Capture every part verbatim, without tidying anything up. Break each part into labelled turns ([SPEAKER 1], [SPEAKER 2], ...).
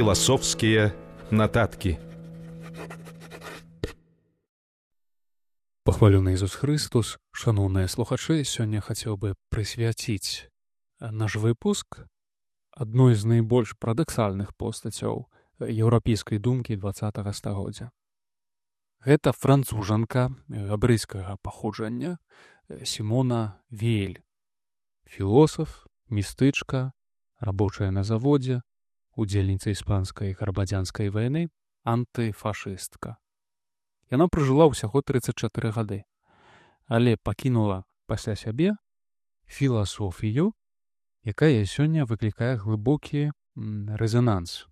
[SPEAKER 1] Філасофскія нататкі.
[SPEAKER 2] Пахвалёны Ісус Христос, шаноўныя слухачы, сёння хацеў бы прысвяціць наш выпуск адной з найбольш парадаксальных постацяў еўрапейскай думкі дваццатага стагоддзя. Гэта францужанка габрэйскага паходжання Сімона Вейль, філосаф, містычка, рабочая на заводзе, удзельніца іспанскай грамадзянскай вайны, антыфашыстка. Яна пражыла ўсяго трыццаць чатыры гады, але пакінула пасля сябе філасофію, якая сёння выклікае глыбокі рэзананс.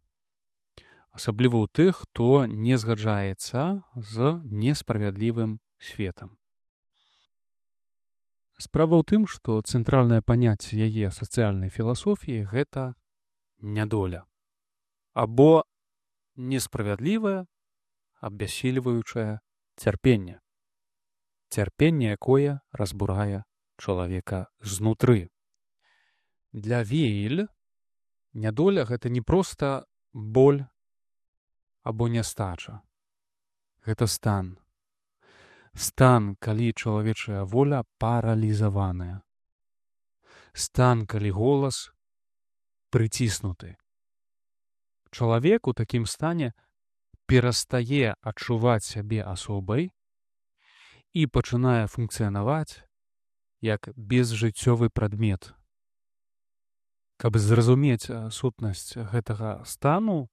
[SPEAKER 2] Асабліва ў тых, хто не згаджаецца з несправядлівым светам. Справа ў тым, што цэнтральнае паняцце яе сацыяльнай філасофіі — гэта нядоля. Або несправядлівае, абяссільваючае цярпенне. Цярпенне, якое разбурае чалавека знутры. Для Вейль нядоля — гэта не проста боль або нястача. Гэта стан. Стан, калі чалавечая воля паралізаваная. Стан, калі голас прыціснуты. Чалавек у такім стане перастае адчуваць сябе асобай і пачынае функцыянаваць як безжыццёвы прадмет. Каб зразумець сутнасць гэтага стану,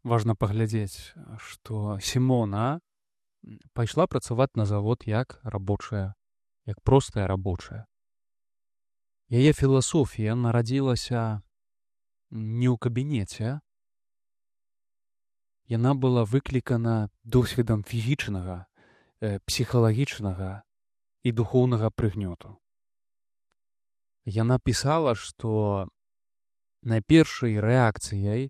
[SPEAKER 2] важна паглядзець, што Сімона пайшла працаваць на завод як рабочая, як простая рабочая. Яе філасофія нарадзілася не ў кабінеце. Яна была выклікана досведам фізічнага, псіхалагічнага і духоўнага прыгнёту. Яна пісала, што найпершай рэакцыяй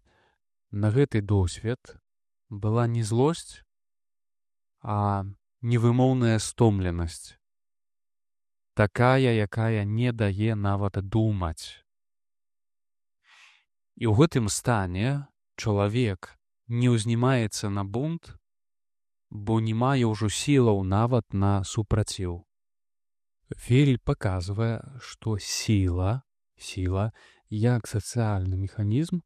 [SPEAKER 2] на гэты досвед была не злосць, а невымоўная стомленасць. Такая, якая не дае нават думаць. І ў гэтым стане чалавек не ўзнімаецца на бунт, бо не мае ўжо сілаў нават на супраціў. Вейль паказвае, што сіла, сіла, як сацыяльны механізм,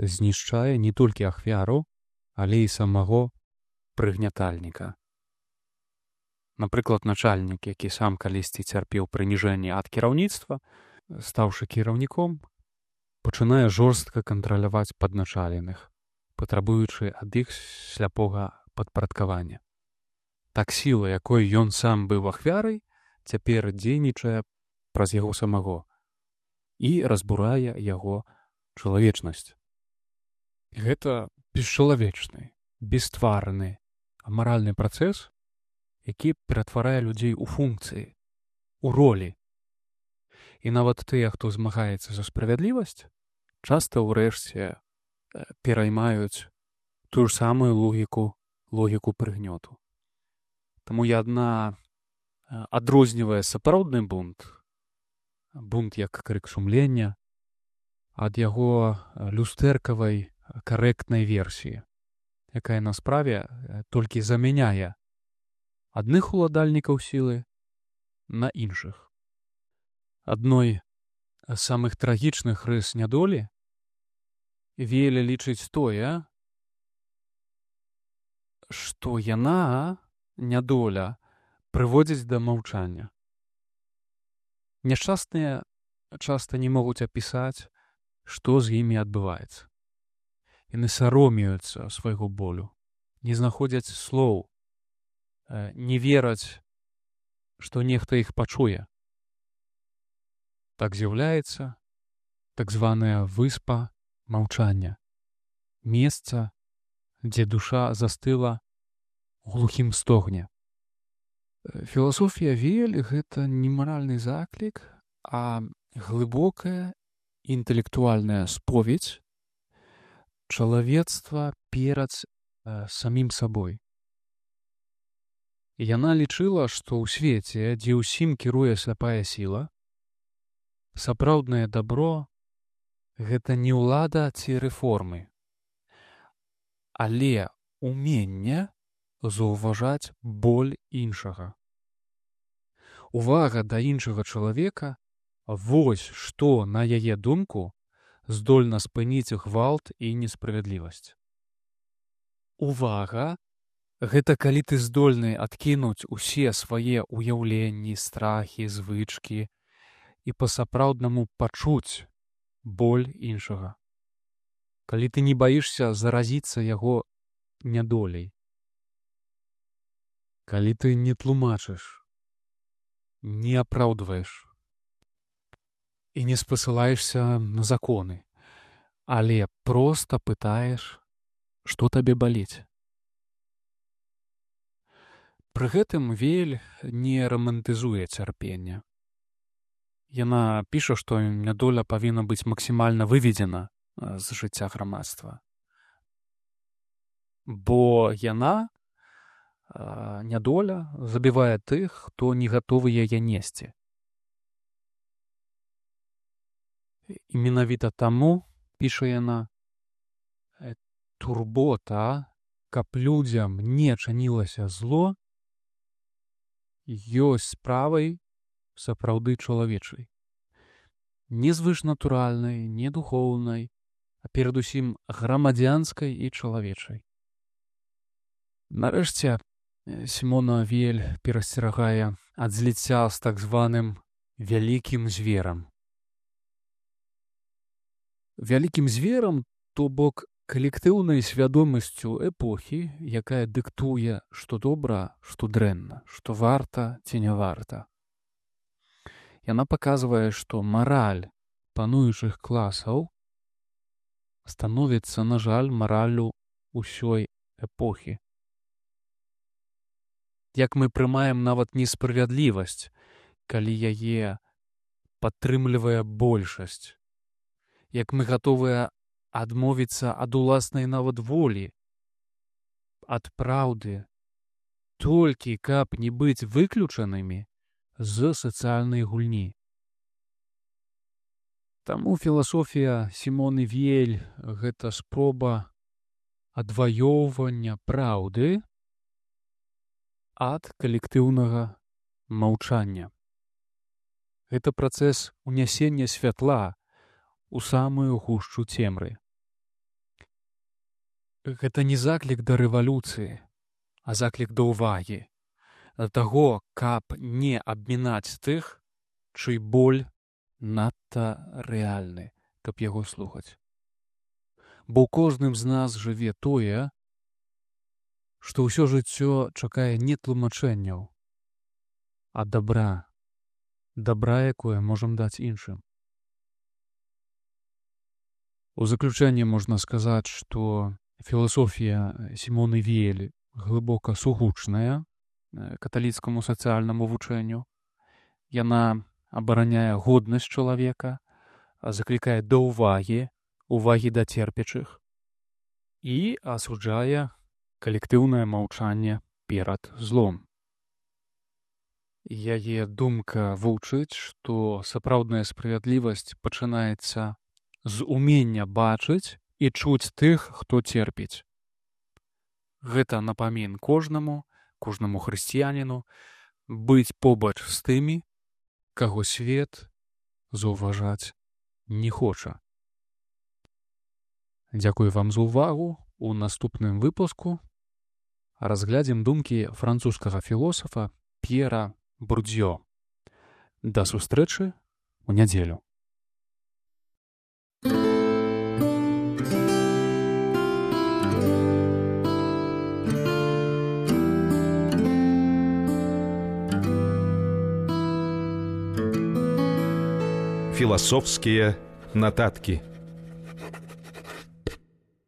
[SPEAKER 2] знішчае не толькі ахвяру, але і самого прыгнятальніка. Напрыклад, начальнік, які сам калісьці цярпеў прыніжэнне ад кіраўніцтва, стаўшы кіраўніком, пачынае жорстка кантраляваць падначаленых, патрабуючы ад іх сляпога падпарадкавання. Так сіла, якой ён сам быў ахвярай, цяпер дзейнічае праз яго самого і разбурае яго чалавечнасць. Гэта бесчалавечны, бесстварны, амаральны працэс, які ператварае людзей у функцыі, у ролі. І нават тыя, хто змагаецца за справядлівасць, часта ўрэшце пераймаюць тую ж самую логіку, логіку прыгнёту. Таму я адна адрознівае сапраўдны бунт, бунт як крык сумлення, ад яго люстэркавай карэктнай версіі, якая на справе толькі замяняе адных уладальнікаў сілы на іншых. Адной з самых трагічных рыс нядолі Вейль лічыць тое, што яна, нядоля, прыводзіць да маўчання. Няшчасныя часта не могуць апісаць, што з імі адбываецца. Яны саромеюцца свайго болю, не знаходзяць слоў, не вераць, што нехта іх пачуе. Так з'яўляецца так званая выспа маўчання, месца, дзе душа застыла ў глухім стогне. Філасофія Вейль — гэта не маральны заклік, а глыбокая інтэлектуальная споведь чалавецтва перад э, самім сабой. Яна лічыла, што ў свеце, дзе ўсім кіруе сляпая сіла, сапраўднае дабро — гэта не ўлада ці рэформы, але уменне заўважаць боль іншага. Увага да іншага чалавека — вось што, на яе думку, здольна спыніць гвалт і несправядлівасць. Увага — гэта калі ты здольны адкінуць усе свае ўяўленні, страхі, звычкі і па-сапраўднаму пачуць боль іншага. Калі ты не баішся заразіцца яго нядоляй. Калі ты не тлумачыш, не апраўдваеш і не спасылаешся на законы, але проста пытаеш, што табе баліць. Пры гэтым Вейль не рамантызуе цярпенне. Яна піша, што нядоля павінна быць максімальна выведзена з жыцця грамадства. Бо яна, нядоля, забівае тых, хто не гатовы яе несці. І менавіта таму, піша яна, турбота, каб людзям не чынілася зло, ёсць справай сапраўды чалавечай. Не звышнатуральнай, не духоўнай, а перадусім грамадзянскай і чалавечай. Нарэшце, Сімона Вейль перасцерагае ад зліцця з так званым вялікім зверам. Вялікім зверам, то бок калектыўнай свядомасцю эпохі, якая дыктуе, што добра, што дрэнна, што варта ці не варта. Яна паказвае, што мараль пануючых класаў становіцца, на жаль, мараллю ўсёй эпохі. Як мы прымаем нават несправядлівасць, калі яе падтрымлівае большасць. Як мы гатовыя адмовіцца ад уласнай нават волі, ад праўды, толькі каб не быць выключанымі з сацыяльнай гульні. Таму філасофія Сімоны Вейль — гэта спроба адваёўвання праўды ад калектыўнага маўчання. Гэта працэс унясення святла у самую гушчу цемры. Гэта не заклік да рэвалюцыі, а заклік да ўвагі, да таго, каб не абмінаць тых, чый боль надта рэальны, каб яго слухаць. Бо ў кожным з нас жыве тое, што ўсё жыццё чакае не тлумачэнняў, а дабра, дабра, якое можам даць іншым. У заключэнне можна сказаць, што філасофія Сімоны Вейль глыбока сугучная каталіцкаму сацыяльнаму вучэнню. Яна абараняе годнасць чалавека, заклікае да ўвагі, увагі да церпячых і асуджае калектыўнае маўчанне перад злом. Яе думка вучыць, што сапраўдная справядлівасць пачынаецца з умення бачыць і чуць тых, хто церпіць. Гэта напамін кожнаму, кожнаму хрысціяніну быць побач з тымі, каго свет заўважаць не хоча. Дзякую вам за ўвагу. У наступным выпуску разглядзім думкі французскага філосафа П'ера Бурдзьё. Да сустрэчы ў нядзелю.
[SPEAKER 1] Философские нотатки.